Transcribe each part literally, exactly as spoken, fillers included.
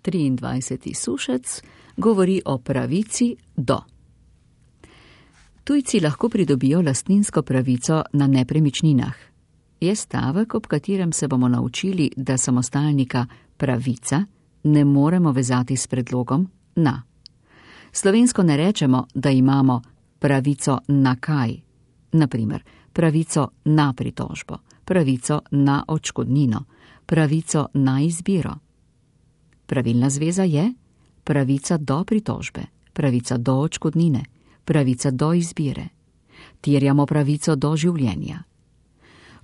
triindvajseti sušec govori o pravici do. Tujci lahko pridobijo lastninsko pravico na nepremičninah. Je stavek, ob katerem se bomo naučili, da samostalnika pravica ne moremo vezati s predlogom na. Slovensko ne rečemo, da imamo pravico na kaj, naprimer pravico na pritožbo, pravico na odškodnino, pravico na izbiro. Pravilna zveza je pravica do pritožbe, pravica do odškodnine, pravica do izbire. Terjamo pravico do življenja.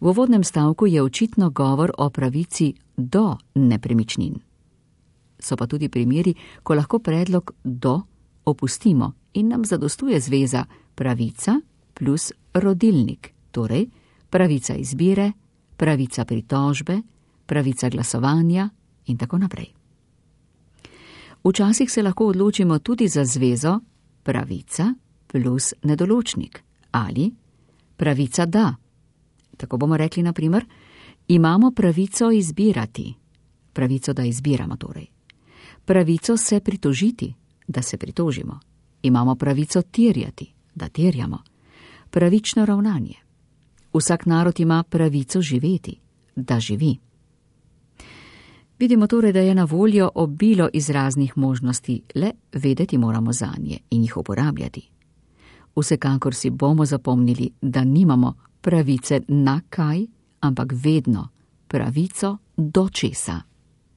V uvodnem stavku je očitno govor o pravici do nepremičnin. So pa tudi primeri, ko lahko predlog do opustimo in nam zadostuje zveza pravica plus rodilnik, torej pravica izbire, pravica pritožbe, pravica glasovanja in tako naprej. Včasih se lahko odločimo tudi za zvezo pravica plus nedoločnik ali pravica da. Tako bomo rekli na primer, imamo pravico izbirati, pravico da izbiramo torej. Pravico se pritožiti, da se pritožimo. Imamo pravico terjati, da terjamo. Pravično ravnanje. Vsak narod ima pravico živeti, da živi. Vidimo torej, da je na voljo obilo izraznih možnosti, le vedeti moramo zanje in jih uporabljati. Vsekakor si bomo zapomnili, da nimamo pravice na kaj, ampak vedno pravico do česa.